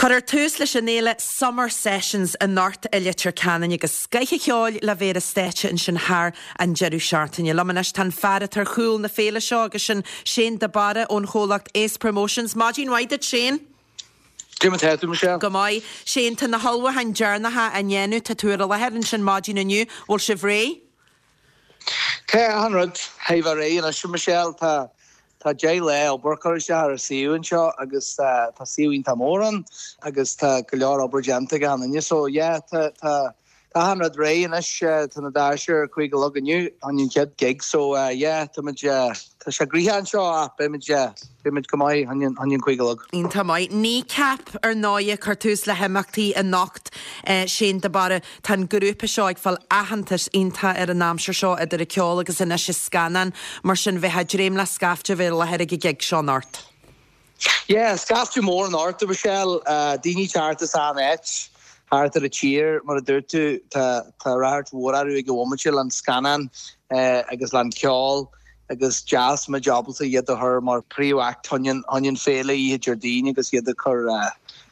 Cuirfear tús leis an fhéile Summer Sessions anocht i Leitir Ceanainn agus scoith an cheoil le bheith ar an stáitse ansin thar an deireadh seachtaine. Liom anois tá an fear atá ar chúl na féile seo agus sin Shane de Barra ón chomhlacht Ace Promotions. Maidin mhaith duit Shane. Cad é mar atá tú, Michelle? Go maith. Shane, tá na hullmhúcháin deireanacha á ndéanamh, tá tú ar an láthair ansin maidin inniu, bhfuil sibh réidh? Tá achan rud thar a bheith réidh anois, Michelle. Tá Tá 10 lá obair curtha isteach ar an suíomh anseo agus tá suíomh iontach mór ann agus tá go leor obair déanta ag achan duine so yeah tá tá tá achan rud réidh anois tá na doirse ar 5 a chlog inniu chun an chéad gig so yeah tá muid tá sé gnoitheach anseo ach beidh muid beidh muid go maith chun an 5 a chlog. Iontach maith. Kneecap ar ndóigh ag cur tús le himeachtaí anocht Shane de Barra. Tá an grúpa seo ag fáil aitheantas iontach ar an aimsir seo idir an ceol agus anois an scannán, mar sin bheifeá ag dréim le scaifte a bheith i láthair ag an gig seo anocht. Yeah, scaifte mór anocht, a Mhichelle. Daoine ag teacht as achan áit thart ar an tír, mar a dúirt tú, tá tá ráchairt mhór orthu ag an bhomaite leis an scannán agus leis an ceol agus deas muid ábalta iad a chur mar príomh-act chun an féile oíche Déardaoin agus iad a chur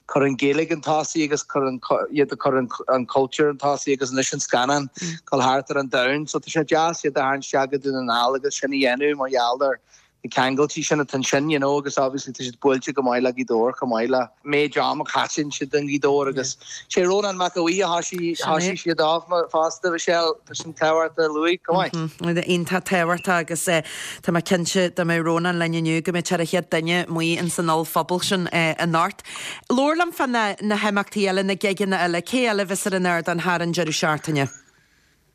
cur an Ghaeilge chun tosaigh agus cur an, iad ag cur an cultúr chun tosaigh agus anois an scannán dul thart ar an domhan. So tá sé deas iad a tharraingt isteach go Dún na nGall agus sin a dhéanamh mar gheall ar na ceangailtí sin atá ansin, you know, agus obviously tá siad buailte go maith le Gaoth Dobhair chomh maith le méid am a chaiteann siad i nGaoth Dobhair agus sé Rónán Mac Aodha Bhuí a thoisigh, thoisigh siad off fosta, Michelle, tá sin tábhachtach a luaigh, go maith. Iontach tábhachtach agus tá mé cinnte dá mbeadh Rónán linn inniu go mbeadh sé ar an chéad duine amuigh ins an ollphuball sin anocht. Labhair liom fá na himeachtaí eile, na gigeanna eile, cé eile a bheas ar an ardán thar an deireadh seachtaine?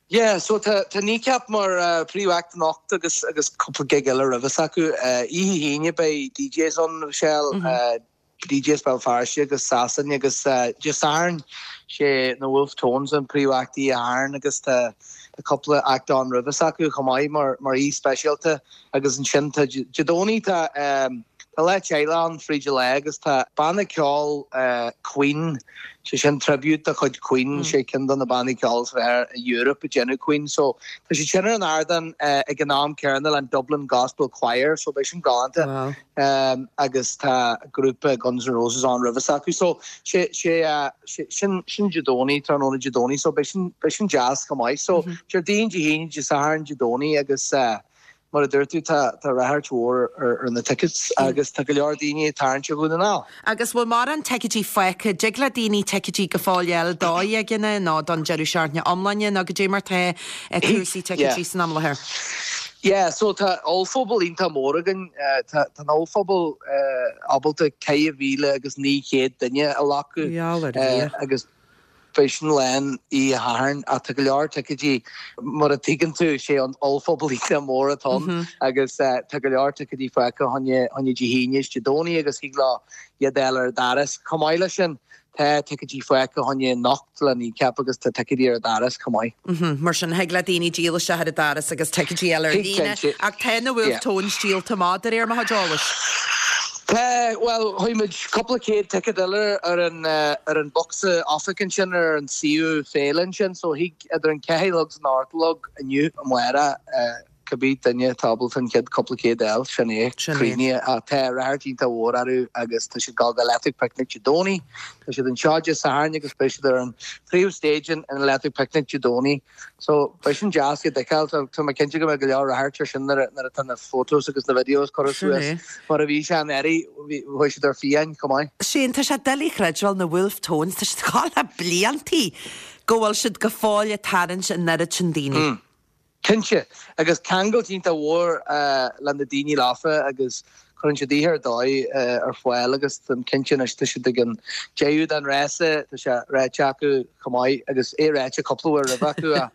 Yeah, so tá tá Kneecap mar príomh-act anocht agus agus cúpla gig eile roimhe s'acu. Oíche hAoine beidh DJs ann, Michelle, DJs Béal Feirste agus Sasain agus Dé Sathairn sé na Wolfe Tones an príomh-act Oíche Shathairn agus tá tá cúpla act ann roimhe s'acu chomh maith mar mar aoi speisialta agus ansin tá Dé Domhnaigh tá tá lá teaghlaigh ann fríd an lá agus tá banna ceoil Queen sé sin tribute de chuid Queen sé ceann de na bannaí ceoil is fearr i Europe ag déanamh Queen so tá siad sin ar an ardán ag an am céanna le an Dublin Gospel Choir so beidh sin galánta. Wow. agus tá grúpa Guns N' Roses ann roimhe s'acu so sé sé sin sin Dé Domhnaigh tráthnóna Dé Domhnaigh so beidh sin beidh sin deas chomh maith so Déardaoin Dé hAoine Dé Sathairn Dé Domhnaigh agus mar a dúirt tú tá tá ráchairt mhór ar ar na tickets agus tá go leor daoine ag tarraingt ó Dhún na nGall. Agus bhfuil mórán ticéidí fágtha? Dtig le daoine ticéidí go fóill a fháil do ghigeanna nó don deireadh seachtaine iomláine nó goidé mar tá cúrsaí ticéidí san am i láthair? Yeah, so tá ollphuball iontach mór againn. Tá an ollphuball ábalta 4,900 duine a ghlacadh agus beidh sin lán oíche Shathairn ach tá go leor ticéidí, mar a tuigeann tú, sé an ollphuball iontach mór atá ann agus tá go leor ticéidí fágtha choinne Dé hAoine is Dé Domhnaigh agus thig leo iad a fháil ar an doras. Chomh maith leis sin, Tá ticéidí fágtha choinne anocht le Kneecap agus tá ticéidí ar an doras chomh maith. Mar sin, thig le daoine díol isteach ar an doras agus ticéidí a fháil ar líne. Ach tá na Wolfe Tones díolta amach, de réir mo chuid eolais. Tá, bhuel, chuir muid cúpla céad ticéad eile ar an ar an bocsa oifig ansin ar an suíomh féile ansin so thig idir an ceathair a chlog is an ocht a chlog inniu amárach Cibé duine atá ábalta an chéad cúpla céad a fháil, sin é. Sin é. Críochnaithe. Ach tá ráchairt iontach mhór orthu agus tá siad ag dul go Electric Picnic Dé Domhnaigh. Tá siad anseo Dé Sathairn agus beidh siad ar an príomh stage in Electric Picnic Dé Domhnaigh. So beidh sin deas iad a fheiceáil. Tá tá mé cinnte go mbeidh go leor ráchairt ar sin nuair a nuair atá na photos agus na videos curtha Sin suas. é. Mar a bhí sé anuraidh, bhí chuaigh siad ar fiáin chomh maith. Shane, tá sé doiligh a chreidbheáil na Wolfe Tones, tá siad ag gabháil le bliantaí go bhfuil siad go fóill ag tarraingt an oiread sin daoine. Cinnte, agus ceangailt iontach mhór le na daoine leofa agus cuireann siad oíche ar dóigh ar fáil agus táim cinnte anois tá siad ag an deireadh den rása, tá sé ráite acu chomh maith agus é ráite cúpla uair roimhe acu ach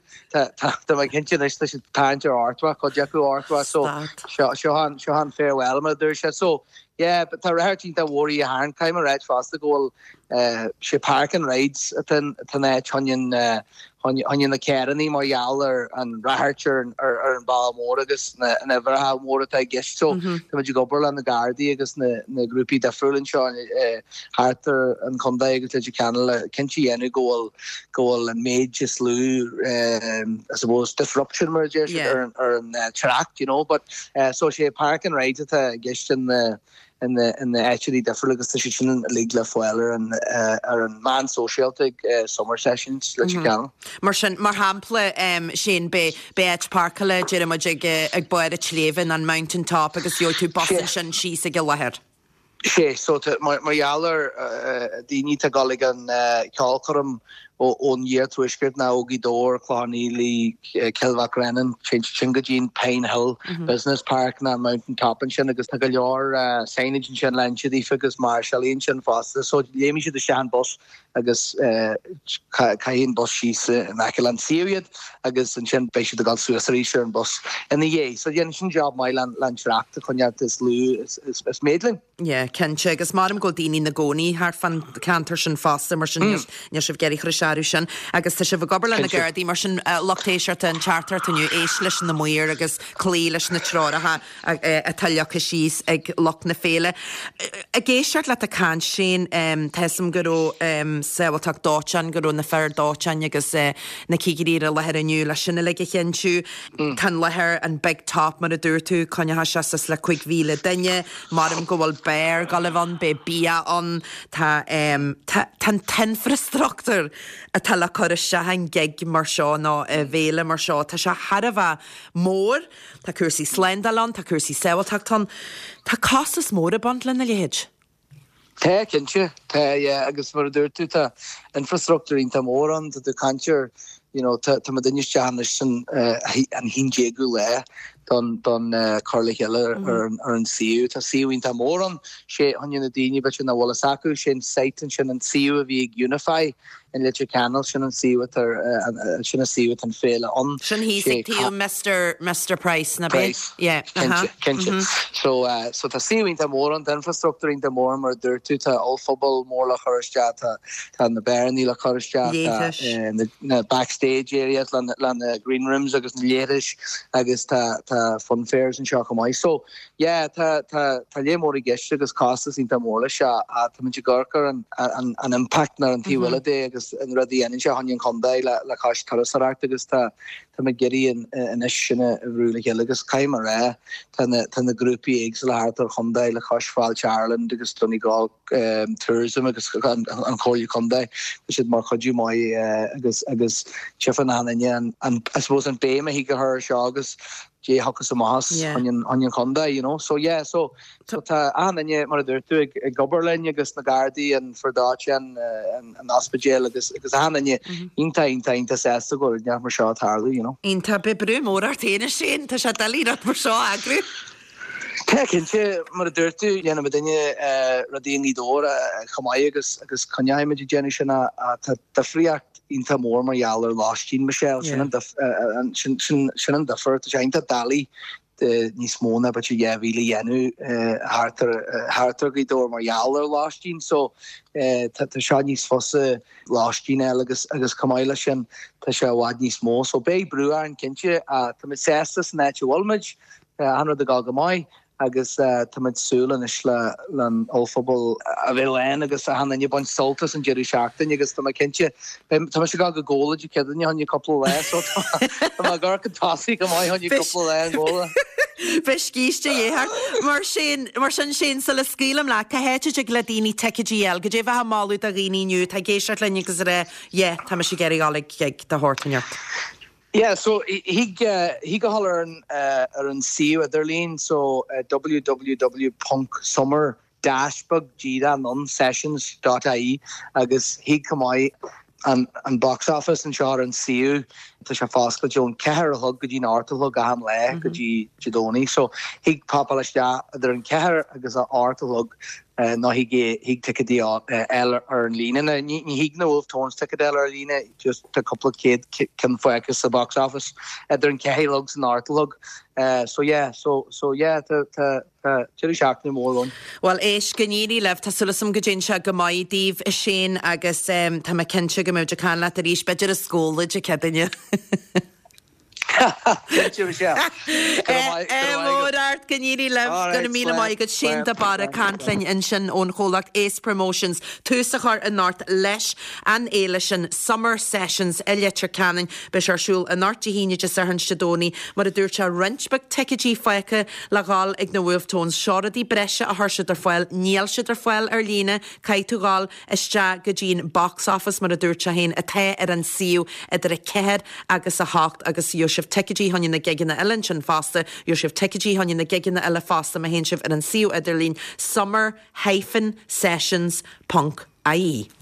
tá tá mé cinnte anois tá siad ag tarraingt ar Artois, cuid acu Artois so seo seo an seo an farewell mar a dúirt siad so yeah but tá ráchairt iontach mhór oíche Shathairn, caithfidh mé a ráit fosta go bhfuil sé park and rides atá an áit choinne choinne na carrannaí mar gheall ar an ráchairt ar an bhealach mór agus na uimhreacha móra atá i gceist. So tá muid ag obair le na Gardaí agus na grúpaí difriúla anseo thart ar an chontae agus Leitir Ceanainn le cinnte a dhéanamh go bhfuil go bhfuil an méid is lú I suppose disruption mar a deir siad ar an trácht you know but so sé park and rides atá i gceist in na. In na áiteanna difriúla agus tá siad sin uilig le fáil ar an ar an meán sóisialta ag Summer Sessions Leitir Ceanainn. Mar sin, mar shampla, Shane, beidh beidh áit páirceála, deir muid, ag ag barr an tsléibhe, an Mountain Top agus gheobhaidh tú bus ansin síos ag an láthair. Sé, so tá, mar mar gheall ar daoine atá ag dul ag an cheolchoirm ón iarthuaisceart ná ó Ghaoth Dobhair, Clochán Fhaola, Cill Mhic Réanáin, téann siad sin go dtí an Pine Hill Business Park ná Mountain Top ansin agus tá go leor signage ansin le hinse daofa agus máirseálaí ansin fosta. So léimfidh siad isteach an bus agus caithfidh an bus síos in aice leis an suíomh iad agus ansin beidh siad ag dul suas arís ar an bus ina dhiaidh. So déanann sin job maith le an trácht a choinneáil is lú is méid linn. Yeah, cinnte, agus maram go bhfuil daoine ina gcónaí thart fán cheantar sin fosta, mar sin níl sibh ag iarraidh cur isteach orthu sin. Agus tá sibh ag obair le na Gardaí, mar sin lucht éisteachta an teachtaireacht inniu, éist leis na maoir agus cloí leis na treoracha atá leagtha síos ag lucht na féile. Ag éisteacht leat ag caint, Shane, tá 'fhios a'm go raibh sábháilteacht dóiteáin, go raibh na fir dóiteáin agus na cigirí ar an láthair inniu le sin uilig a chinntiú. Tá an láthair, an Big Top mar a dúirt tú, coinneoidh sé suas le 5,000 duine. Maram go bhfuil beár ag dul a bheith ann, beidh bia ann, tá tá tá an t-infreastruchtúr atá le cur isteach i ngig mar seo nó i bhféile mar seo, tá sé thar a bheith mór. Tá cúrsaí slándála ann, tá cúrsaí sábháilteachta ann. Tá costas mór ag baint lena leithéid. Tá, cinnte. Tá, yeah, agus mar a dúirt tú, tá infreastruchtúr iontach mór ann, tá tú ag caint ar, you know, tá tá muidinne isteach anois san an haon déagú lá don don cur le chéile ar an ar an suíomh. Tá suíomh iontach mór ann, sé fá choinne na daoine b'fhéidir nach bhfuil fhios acu, sé an site ansin an suíomh a bhí ag Unify in Leitir Ceanainn, sin an suíomh atá sin an suíomh atá an féile ann. Sin thíos ag taobh Mister Mister Price, ná b'é? Price, Yeah, uh-huh, cinnte, cinnte. Mm-hmm. So, so tá suíomh iontach mór ann, tá infrastruchtúr iontach mór ann mar a dúirt tú, tá ollphuball mór le cur isteach, tá tá na beárannaí le cur isteach, tá na na backstage areas le le na green rooms agus na leithris agus tá tá funfairs anseo chomh maith. So, Yeah, tá, tá, tá léar mór i gceist agus costas iontach mór leis ach táimid ag amharc ar an, an, an impact ar an taobh eile de agus an rud a dhéanann sé fá choinne an chontae le, le cois turasóireacht agus tá, táimid ag iarraidh anois sin a bhrú le chéile agus caithfidh mé a rá, tá na, tá na grúpaí éagsúla thart ar chontae le cois Fáilte Ireland agus Donegal Tourism agus an, an Chomhairle Contae, tá siad mar chuidiú maith agus, agus tchífeann achan duine an, an, I suppose an béim a thig a chur ar seo agus dé thiocfas amach as fá choinne an chontae, you know. So yeah, so so tá achan duine, mar a dúirt tú, ag ag obair linn agus na Gardaí, an fir dóiteáin, an an ospidéal agus agus achan duine iontach iontach iontach sásta go bhfuil rud mar seo ag tarlú, you know. Iontach, beidh brú mór ort féin a Shane, tá sé doiligh rud mar seo a eagrú. Tá cinnte, mar a dúirt tú, dhéanann muidinne rudaí i nGaoth Dobhair chomh maith agus agus coinneoidh muid ag déanamh sin ach tá difríocht iontach mór mar gheall ar lóistín, Michelle, sin an sin an difear. Tá sé iontach doiligh níos mó ná b'fhéidir 2,000 a dhéanamh thart ar thart ar Ghaoth Dobhair mar gheall ar lóistín so tá seo níos fusa lóistín a fháil agus agus chomh maith leis sin tá sé i bhfad níos mó so beidh brú orainn cinnte ach tá muid sásta san áit a bhfuil muid. Tá achan rud ag dul go maith agus tá muid ag súil anois le an ollphuball a bheith lán agus achan duine ag baint sult as an deireadh seachtaine agus tá mé cinnte, tá mise ag dul go Gabhla Dé Céadaoine fá choinne cúpla lá so tá mé ag amharc chun tosaigh go maith fá choinne cúpla lá i nGabhla. Beidh scíste de dhíth ort. Mar sin, mar sin Shane, sula scaoilim leat, cá háit a dtig le daoine ticéidí a fháil? Goidé a bheifeá ag moladh do dhaoine inniu atá ag éisteacht linn agus ag rá yeah, tá mise ag iarraidh dul ag gig de shórt inteacht. Yeah, so thig thig a dhul ar an ar an suíomh idirlín so www ponc summer dash beag díreach ann sessions dot ie agus thig chomh maith an an box office anseo ar an suíomh tá sé foscailte ón ceathair a chlog go dtí an ocht a chlog achan lá go dtí Dé Domhnaigh so thig popáil isteach idir an ceathair agus a ocht a chlog nó thig thig ticéidí a fháil ar an líne. Now ní thig na Wolfe Tones ticéad a fháil ar an líne, just tá cúpla céad ceann fágtha sa box office idir an ceathair a chlog 's an ocht a chlog. So yeah, so so yeah tá tá tá deireadh seachtaine mór ann. Bhuel éist, go n-éirí libh, tá súil agam go dtéann sé go maith daoibh a Shane agus tá mé cinnte go mbeidh muid ag caint leat arís, b'fhéidir i Gabhla Dé Céadaoine. Cinnte, Michelle. Go raibh maith. Ádh mór ort, go n-éirí libh. Go raibh míle maith agat. Shane de Barra ag caint linn ansin ón chomhlacht Ace Promotions. Tús a chur anocht leis an fhéile sin, Summer Sessions i Leitir Ceanainn. Beidh sé ar siúl anocht, Dé hAoine, Dé Sathairn 's Dé Domhnaigh. Mar a dúirt sé, roinnt beag ticéidí fágtha le dhul ag na Wolfe Tones. Seo rudaí breise a chuir siad ar fáil. Níl siad ar fáil ar líne. Caithfidh tú dhul isteach go dtí an box office, mar a dúirt sé féin, atá ar an suíomh idir 4 agus 8 agus gheobhaidh sibh ticéidí fá choinne na gigeanna eile ansin fosta. Gheobhaidh sibh ticéidí fá choinne na gigeanna eile fosta má théann sibh ar an suíomh idirlín summer hyphen sessions ponc ie.